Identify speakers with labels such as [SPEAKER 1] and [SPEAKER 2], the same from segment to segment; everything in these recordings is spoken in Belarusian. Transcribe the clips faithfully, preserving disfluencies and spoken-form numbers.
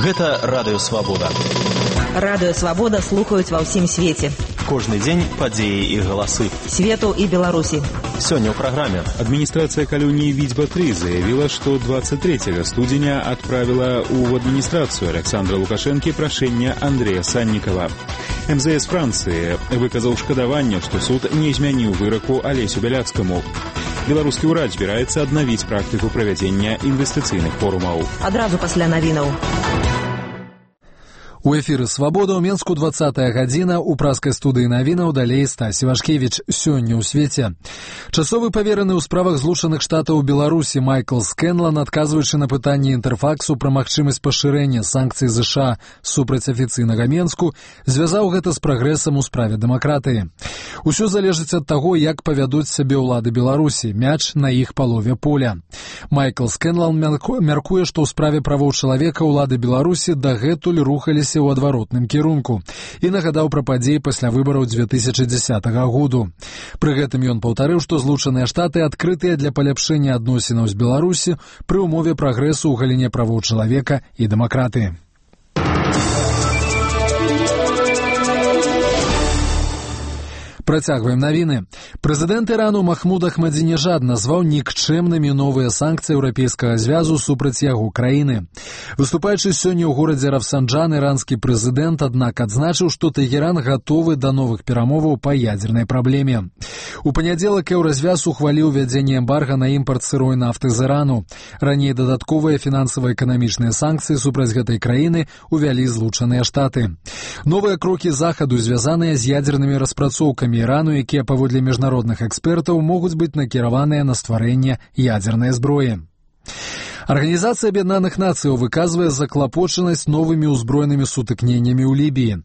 [SPEAKER 1] Гэта Радыё Свабода.
[SPEAKER 2] Радыё Свабода слухаюць ва ўсім свеце.
[SPEAKER 1] Кожны дзень падзеі і галасы.
[SPEAKER 2] Свету і Беларусі.
[SPEAKER 1] Сёння ў праграме.
[SPEAKER 3] Адміністрацыя калоніі Відзьба-тры заявила, што двадцать третьего студзеня адправіла ў адміністрацыю Александра Лукашэнкі прашэнне Андрэя Саннікава. эм зэ эс Францыі выказаў шкадаванне, што суд не змяніў выраку Алесю Бяляцкаму. Беларускі ўрад збіраецца аднавіць практыку правядзення інвестыцыйных форумаў.
[SPEAKER 2] Адразу пасля навінаў.
[SPEAKER 4] У эфіры «Свабода» ў Менску двадцатая гадзіна, у праскай студыі навінаў далей Стась Івашкевіч. Сёння ў свеце. Часовы павераны ў справах Злучаных Штатаў у Беларусі Майкл Скэнлан, адказваючы на пытанне Інтэрфаксу пра магчымасць пашырэння санкцый ЗША супраць афіцыйнага Менску, звязаў гэта з прагрэсам у справе дэмакратыі. Усё залежыць ад таго, як павядуць сябе ўлады Беларусі. Мяч на іх палове поля. Майкл Скэнлан мяркуе, што ў справе правоў чалавека ўлады Беларусі дагэтуль рухаліся ў адваротным кірунку і нагадаў пра падзеі пасля выбараў дзве тысячы дзесятага году. Пры гэтым ён паўтарыў, што Злучаныя Штаты адкрытыя для паляпшэння адносінаў з Беларусі пры ўмове прагрэсу ў галіне правоў чалавека і дэмакратыі. Працягваем навіны. Прэзідэнт Ірану Махмуд Ахмадзінежад назваў нікчэмнымі новыя санкцыі Еўрапейскага звязу супраць яго краіны. Выступаючы сёння ў горадзе Рафсанджан, іранскі прэзідэнт, аднак, адзначыў, што Тэгеран гатовы да новых перамоваў па ядзернай праблеме. У панядзелак Еўразвяз ухваліў ввядзенне эмбарга на імпарт сырой нафты з Ірану. Раней дадатковыя фінансава-эканамічныя санкцыі супраць гэтай краіны увялі Злучаныя Штаты. Новыя крокі захаду звязаныя з ядзернымі распрацоўкамі Ірану, якія паводле міжнародных экспертаў могуць быць накіраваныя на стварэнне ядзернай зброі. Арганізацыя Аб'яднаных Нацыяў выказвае заклапочанасць новымі ўзброенымі сутыкненнямі ў Лібіі.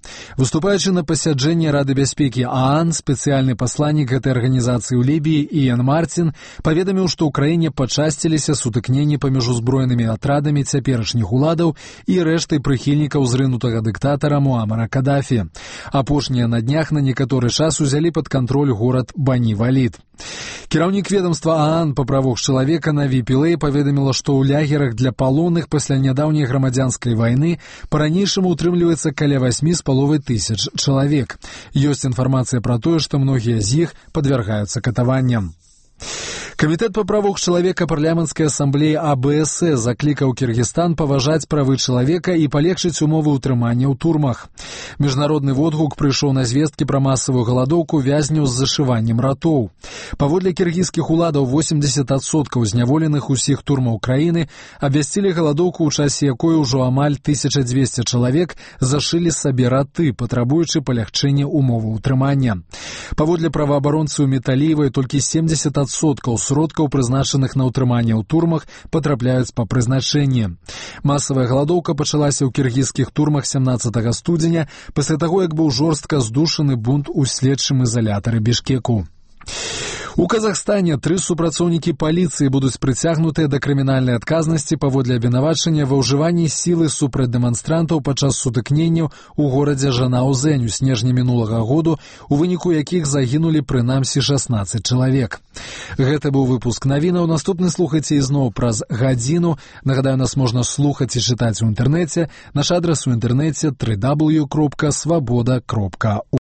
[SPEAKER 4] Выступаючы на пасяджэнні Рады бяспекі ААН, спецыяльны пасланнік гэтай арганізацыі ў Лібіі Іэн Мартин паведаміў, што ў краіне пачасціліся сутыкненні паміж узброенымі атрадамі цяперашніх уладаў і рэштай прыхільнікаў зрынутага дыктатара Муамара Кадафі. Апошнія на днях на некаторы час узялі пад кантроль горад Бані-Валід. Кіраўнік ведомства ААН па правах чалавека Наві Пілэй паведаміла, што ў лягерах для палонных пасля нядаўняй грамадзянскай вайны па-ранейшаму утрымліваецца каля восьмі з паловай тысяч чалавек. Ёсць інфармацыя пра тое, што многія з іх падвяргаюцца катаванням. Камітэт па правах чалавека парламенцкай асамблеі А Бэ Эс Э заклікаў Кіргізстан паважаць правы чалавека і палегчыць умовы ўтрымання ў турмах. Міжнародны водгук прыйшоў на звесткі пра масавую галадоўку вязняў з зашываннем ратоў. Паводле кіргізскіх уладаў восемьдесят адсоткаў зняволеных усіх турмаў краіны абвясцілі галадоўку, у часе якой ужо амаль тысяча дзвесце чалавек зашылі сабе раты, патрабуючы палягчэння умоваў утрымання. Паводле праваабаронцаў Металіевай толькі семьдесят адсоткаў сродкаў, прызначаных на ўтрыманне ў турмах, патрапляюць па прызначэнні. Масавая галадоўка пачалася ў кіргізскіх турмах сямнаццатага студзеня пасля таго, як быў жорстка здушаны бунт у следчым ізалятары Бішкеку. У Казахстане тры супрацоўнікі паліцыі будуць прыцягнутыя да крымінальнай адказнасці паводле абвінавачання ва ўжыванні сілы супраць дэманстрантаў падчас сутыкненняў у горадзе Жанаузэнь у снежні мінулага году, у выніку якіх загінулі прынамсі шаснаццаць чалавек. Гэта быў выпуск навінаў. Наступны слухайце ізноў праз гадзіну. Нагадаю, нас можна слухаць і чытаць у інтэрнэце. Наш адрас у інтэрнэце дабл ю дабл ю дабл ю кропка свабода кропка